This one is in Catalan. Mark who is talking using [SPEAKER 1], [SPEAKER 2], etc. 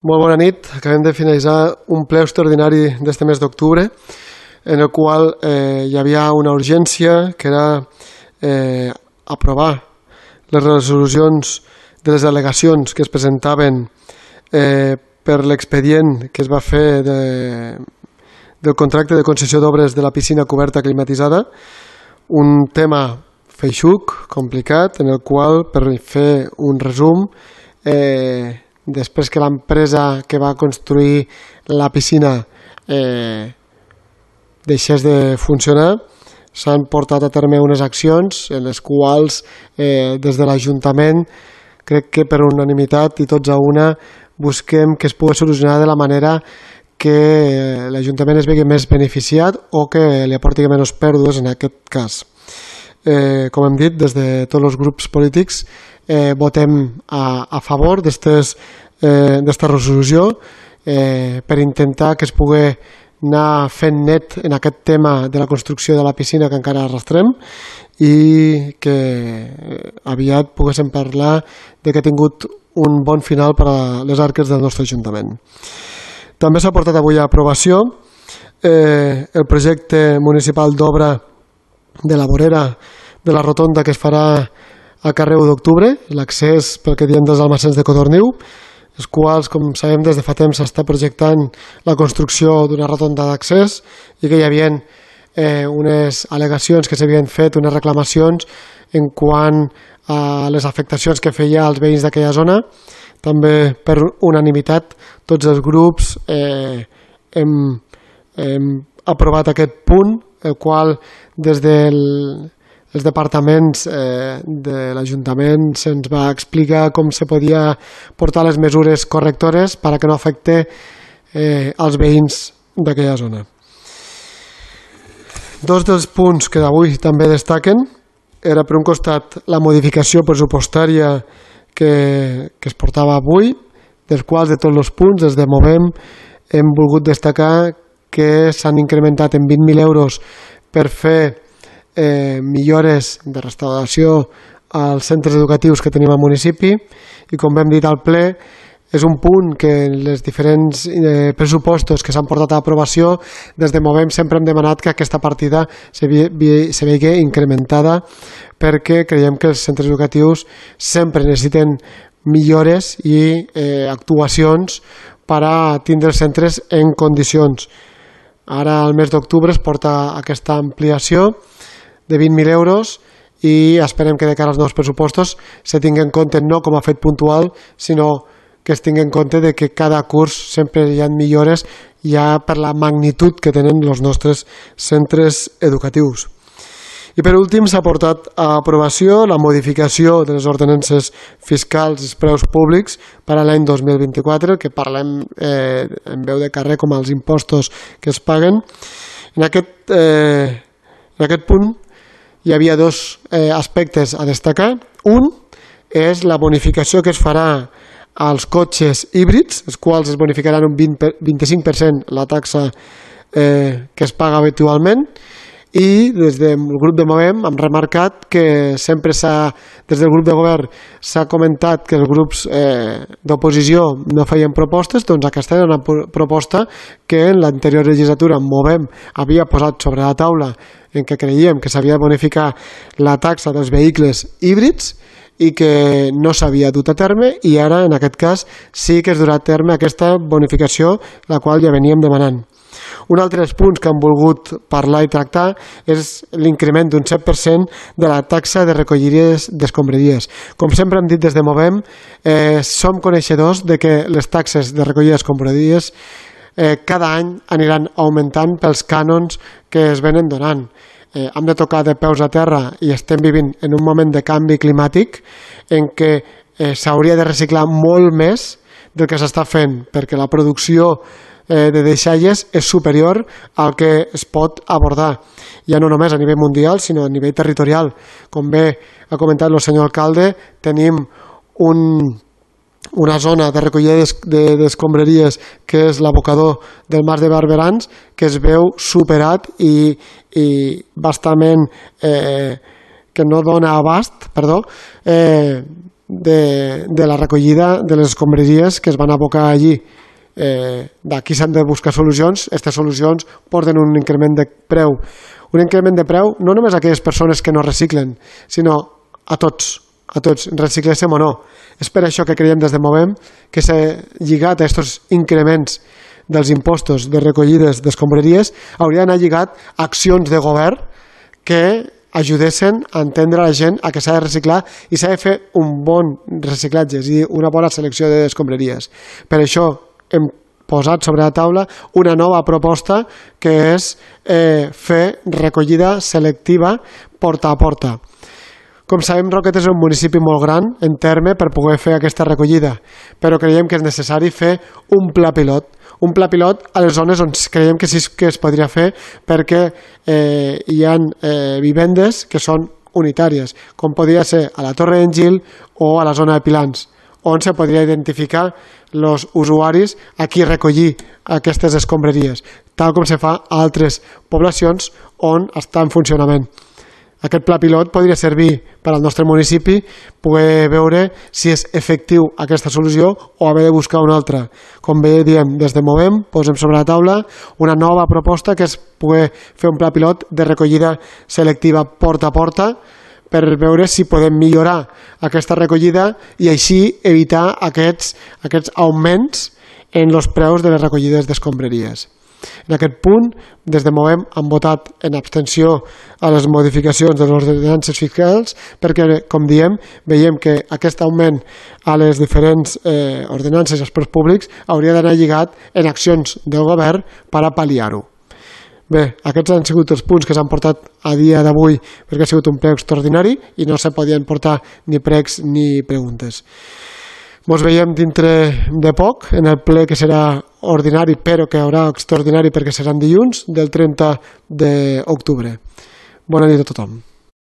[SPEAKER 1] Molt bona nit. Acabem de finalitzar un ple extraordinari d'este mes d'octubre en el qual hi havia una urgència que era aprovar les resolucions de les al·legacions que es presentaven per l'expedient que es va fer del contracte de concessió d'obres de la piscina coberta climatitzada, un tema feixuc, complicat, en el qual, per fer un resum, després que l'empresa que va construir la piscina deixés de funcionar, s'han portat a terme unes accions en les quals des de l'Ajuntament, crec que per unanimitat i tots a una, busquem que es pugui solucionar de la manera que l'Ajuntament es vegi més beneficiat o que li aporti menys pèrdues en aquest cas. Com hem dit, des de tots els grups polítics votem a favor d'esta resolució per intentar que es pugui anar fent net en aquest tema de la construcció de la piscina que encara arrastrem i que aviat poguéssim parlar de que ha tingut un bon final per a les arques del nostre Ajuntament. També s'ha portat avui a aprovació el projecte municipal d'obra de la vorera de la rotonda que es farà al carrer 1 d'octubre, l'accés pel que diem dels almacens de Codorniu, els quals, com sabem, des de fa temps s'està projectant la construcció d'una rotonda d'accés i que hi havia unes al·legacions que s'havien fet, unes reclamacions en quant a les afectacions que feia als veïns d'aquella zona. També per unanimitat tots els grups hem aprovat aquest punt, el qual des dels departaments de l'Ajuntament se'ns va explicar com se podia portar les mesures correctores perquè no afecte als veïns d'aquella zona. Dos dels punts que avui també destaquen era, per un costat, la modificació pressupostària que es portava avui, dels quals de tots els punts, des de Movem, hem volgut destacar que s'han incrementat en 20.000 euros per fer millores de restauració als centres educatius que tenim al municipi i, com hem dit al ple, és un punt que en els diferents pressupostos que s'han portat a aprovació des de Movem sempre hem demanat que aquesta partida se vegi incrementada perquè creiem que els centres educatius sempre necessiten millores i actuacions per a tindre els centres en condicions. Ara, al mes d'octubre, es porta aquesta ampliació de 20.000 euros i esperem que de cara als nous pressupostos se tingui en compte no com a fet puntual, sinó que es tingui en compte de que cada curs sempre hi ha millores ja per la magnitud que tenen els nostres centres educatius. I per últim s'ha portat a aprovació la modificació de les ordenances fiscals i preus públics per a l'any 2024, que parlem en veu de carrer com els impostos que es paguen. En aquest punt hi havia dos aspectes a destacar. Un és la bonificació que es farà als cotxes híbrids, els quals es bonificaran un 25% la taxa que es paga habitualment, i des del grup de Movem hem remarcat que sempre des del grup de govern s'ha comentat que els grups d'oposició no feien propostes, doncs aquesta era una proposta que en l'anterior legislatura Movem havia posat sobre la taula en què creiem que s'havia de bonificar la taxa dels vehicles híbrids i que no s'havia dut a terme, i ara en aquest cas sí que es durà a terme aquesta bonificació, la qual ja veníem demanant. Un altre dels punts que hem volgut parlar i tractar és l'increment d'un 7% de la taxa de recollides d'escombraries. Com sempre hem dit des de Movem, som coneixedors de que les taxes de recollida d'escombraries cada any aniran augmentant pels cànons que es venen donant. Hem de tocar de peus a terra i estem vivint en un moment de canvi climàtic en què s'hauria de reciclar molt més del que s'està fent, perquè la producció de deixalles és superior al que es pot abordar, ja no només a nivell mundial, sinó a nivell territorial. Com bé ha comentat el senyor alcalde, tenim una zona de recollida d'escombraries que és l'abocador del Mas de Barberans, que es veu superat i bastament que no dona abast, de la recollida de les escombraries que es van abocar allí. D'aquí s'han de buscar solucions. Aquestes solucions porten un increment de preu. Un increment de preu no només a aquelles persones que no reciclen, sinó a tots, recicléssim o no. És per això que creiem des de Movem que s'ha lligat a aquests increments dels impostos de recollides d'escombraries, hauria d'anar lligat a accions de govern que ajudessin a entendre a la gent a que s'ha de reciclar i s'ha de fer un bon reciclatge, és a dir, una bona selecció d'escombraries. Per això hem posat sobre la taula una nova proposta que és fer recollida selectiva porta a porta. Com sabem, Roquetes és un municipi molt gran en terme per poder fer aquesta recollida, però creiem que és necessari fer un pla pilot. Un pla pilot a les zones on creiem que sí que es podria fer perquè hi ha vivendes que són unitàries, com podria ser a la Torre d'en Gil o a la zona de Pilans, on se podria identificar els usuaris a qui recollir aquestes escombraries, tal com se fa a altres poblacions on està en funcionament. Aquest pla pilot podria servir per al nostre municipi poder veure si és efectiu aquesta solució o haver de buscar una altra. Com bé diem, des de Movem posem sobre la taula una nova proposta que és poder fer un pla pilot de recollida selectiva porta a porta per veure si podem millorar aquesta recollida i així evitar aquests augments en els preus de les recollides d'escombraries. En aquest punt, des de Movem hem votat en abstenció a les modificacions de les ordenances fiscals perquè, com diem, veiem que aquest augment a les diferents ordenances i espais públics hauria d'anar lligat en accions del govern per a pal·liar-ho. Bé, aquests han sigut els punts que s'han portat a dia d'avui perquè ha sigut un ple extraordinari i no se podien portar ni pregs ni preguntes. Ens veiem dintre de poc en el ple que serà ordinari, però que haurà extraordinari perquè seran dilluns del 30 d'octubre. Bona nit a tothom.